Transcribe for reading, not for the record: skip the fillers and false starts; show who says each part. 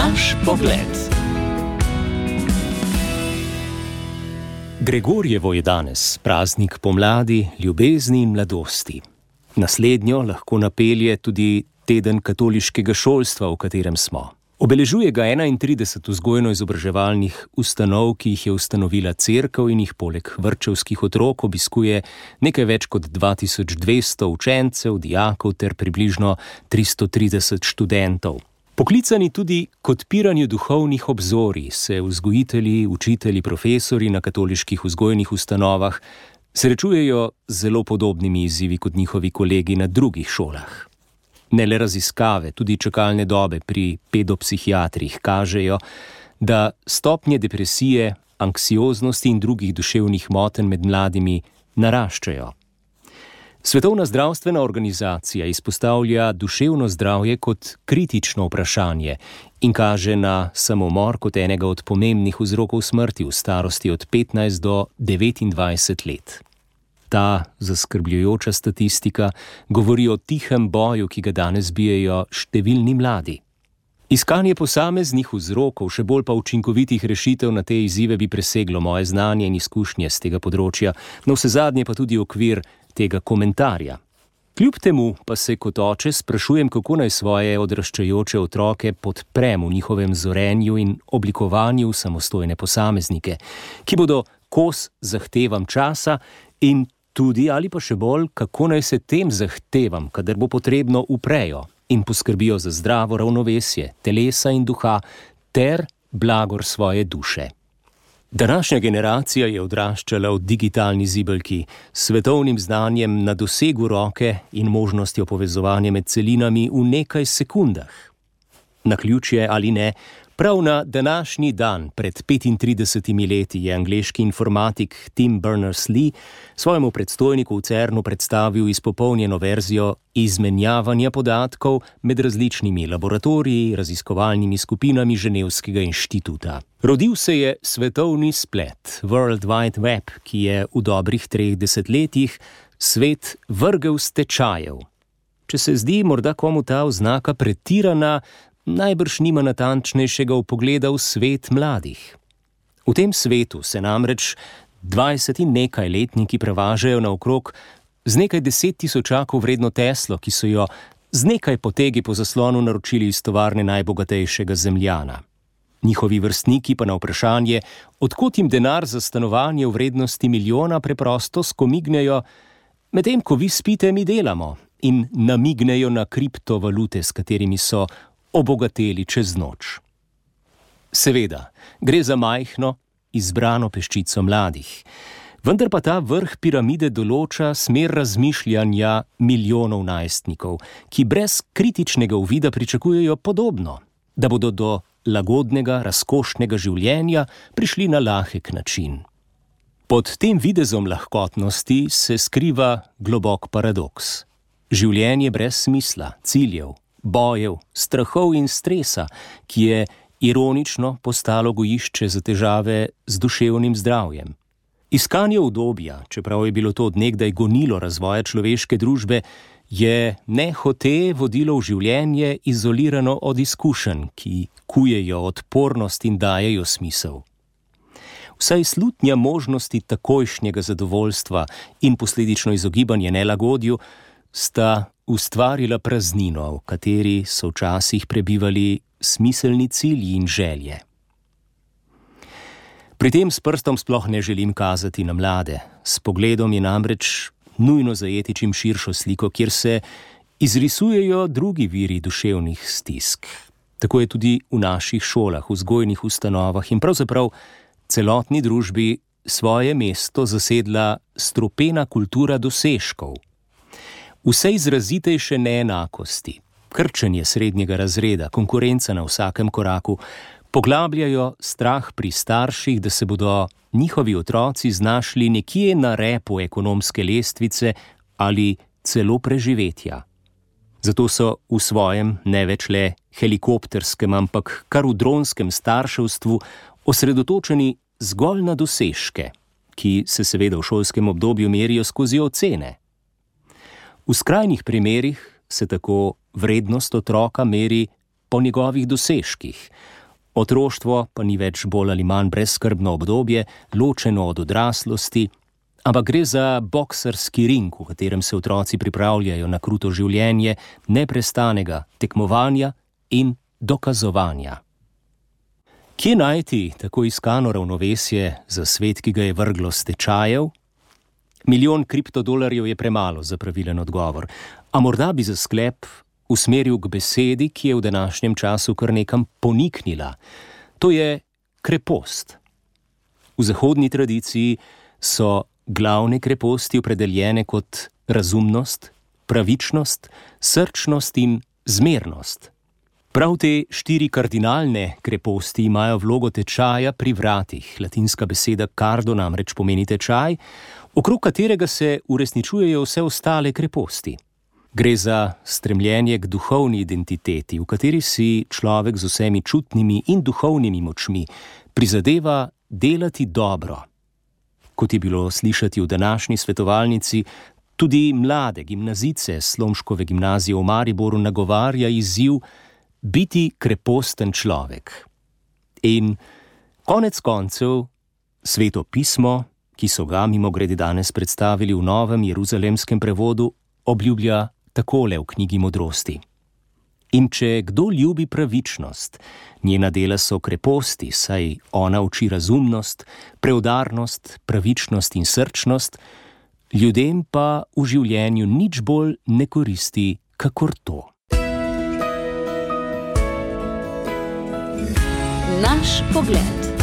Speaker 1: Naš pogled. Gregorjevo je danes praznik pomladi, ljubezni in mladosti. Naslednjo lahko napelje tudi teden katoliškega šolstva, v katerem smo. Obeležuje ga 31 vzgojno-izobraževalnih ustanov, ki jih je ustanovila cerkev in jih poleg vrtčevskih otrok obiskuje nekaj več kot 2200 učencev, dijakov ter približno 330 študentov. Poklicani tudi k odpiranju duhovnih obzorij se vzgojitelji, učitelji, profesori na katoliških vzgojnih ustanovah srečujejo z zelo podobnimi izzivi kot njihovi kolegi na drugih šolah. Ne le raziskave, tudi čakalne dobe pri pedopsihiatrih kažejo, da stopnje depresije, anksioznosti in drugih duševnih motenj med mladimi naraščajo. Svetovna zdravstvena organizacija izpostavlja duševno zdravje kot kritično vprašanje in kaže na samomor kot enega od pomembnih vzrokov smrti v starosti od 15 do 29 let. Ta zaskrbljujoča statistika govori o tihem boju, ki ga danes bijejo številni mladi. Iskanje posameznih vzrokov, še bolj pa učinkovitih rešitev na te izzive bi preseglo moje znanje in izkušnje z tega področja, navsezadnje pa tudi okvir tega komentarja. Kljub temu pa se kot oče sprašujem, kako naj svoje odraščajoče otroke podprem v njihovem zorenju in oblikovanju samostojne posameznike, ki bodo kos zahtevam časa in tudi ali pa še bolj, kako naj se tem zahtevam, kadar bo potrebno, uprejo in poskrbijo za zdravo ravnovesje telesa in duha ter blagor svoje duše. Današnja generacija je odraščala v digitalni zibelki s svetovnim znanjem na dosegu roke in možnostjo povezovanja med celinami v nekaj sekundah. Naključje ali ne, prav na današnji dan pred 35 leti je angleški informatik Tim Berners-Lee svojemu predstojniku v CERN-u predstavil izpopolnjeno verzijo izmenjavanja podatkov med različnimi laboratoriji, raziskovalnimi skupinami Ženevskega inštituta. Rodil se je svetovni splet, World Wide Web, ki je v dobrih 3 desetletjih svet vrgel s tečajev. Če se zdi morda komu ta oznaka pretirana, najbrž nima natančnejšega vpogleda v svet mladih. V tem svetu se namreč 20 in nekaj letniki prevažajo naokrog z nekaj 10 tisočakov vredno Teslo, ki so jo z nekaj potegi po zaslonu naročili iz tovarne najbogatejšega Zemljana. Njihovi vrstniki pa na vprašanje, od kod jim denar za stanovanje v vrednosti milijona, preprosto skomignejo, medtem ko vi spite, mi delamo, in namignejo na kriptovalute, s katerimi so obogateli čez noč. Seveda, gre za majhno, izbrano peščico mladih, vendar pa ta vrh piramide določa smer razmišljanja milijonov najstnikov, ki brez kritičnega uvida pričakujejo podobno, da bodo do lagodnega, razkošnega življenja prišli na lahek način. Pod tem videzom lahkotnosti se skriva globok paradoks. Življenje brez smisla, ciljev, bojev, strahov in stresa, ki je ironično postalo gojišče za težave z duševnim zdravjem. Iskanje udobja, čeprav je bilo to od nekdaj gonilo razvoja človeške družbe, je nehote vodilo v življenje izolirano od izkušenj, ki kujejo odpornost in dajejo smisel. Vsaj slutnja možnosti takojšnjega zadovoljstva in posledično izogibanje nelagodju sta ustvarila praznino, v kateri so včasih prebivali smiselni cilji in želje. Pri tem s prstom sploh ne želim kazati na mlade. S pogledom je namreč nujno zajeti čim širšo sliko, kjer se izrisujejo drugi viri duševnih stisk. Tako je tudi v naših šolah, vzgojnih ustanovah in pravzaprav celotni družbi svoje mesto zasedla strupena kultura dosežkov. Vse izrazitejše neenakosti, krčenje srednjega razreda, konkurenca na vsakem koraku, poglabljajo strah pri starših, da se bodo njihovi otroci znašli nekje na repu ekonomske lestvice ali celo preživetja. Zato so v svojem ne več le helikopterskem, ampak kar v dronskem starševstvu osredotočeni zgolj na dosežke, ki se seveda v šolskem obdobju merijo skozi ocene. V skrajnih primerih se tako vrednost otroka meri po njegovih dosežkih. Otroštvo pa ni več bolj ali manj brezskrbno obdobje, ločeno od odraslosti, ampak gre za boksarski ring, v katerem se otroci pripravljajo na kruto življenje neprestanega tekmovanja in dokazovanja. Kje najti tako iskano ravnovesje za svet, ki ga je vrglo s tečajev? 1 milijon kriptodolarjev je premalo za pravilen odgovor, a morda bi za sklep usmeril k besedi, ki je v današnjem času kar nekam poniknila. To je krepost. V zahodni tradiciji so glavne kreposti opredeljene kot razumnost, pravičnost, srčnost in zmernost. Prav te 4 kardinalne kreposti imajo vlogo tečaja pri vratih. Latinska beseda cardo namreč pomeni tečaj, okrog katerega se uresničujejo vse ostale kreposti. Gre za stremljenje k duhovni identiteti, v kateri si človek z vsemi čutnimi in duhovnimi močmi prizadeva delati dobro. Kot je bilo slišati v današnji svetovalnici, tudi mlade gimnazijce Slomškove gimnazije v Mariboru nagovarja izziv biti kreposten človek. In konec koncev Sveto pismo, ki so ga mimogrede danes predstavili v novem jeruzalemskem prevodu, obljublja takole v knjigi modrosti. In če kdo ljubi pravičnost, njena dela so kreposti, saj ona uči razumnost, preudarnost, pravičnost in srčnost, ljudem pa v življenju nič bolj ne koristi, kakor to.
Speaker 2: Naš pogled.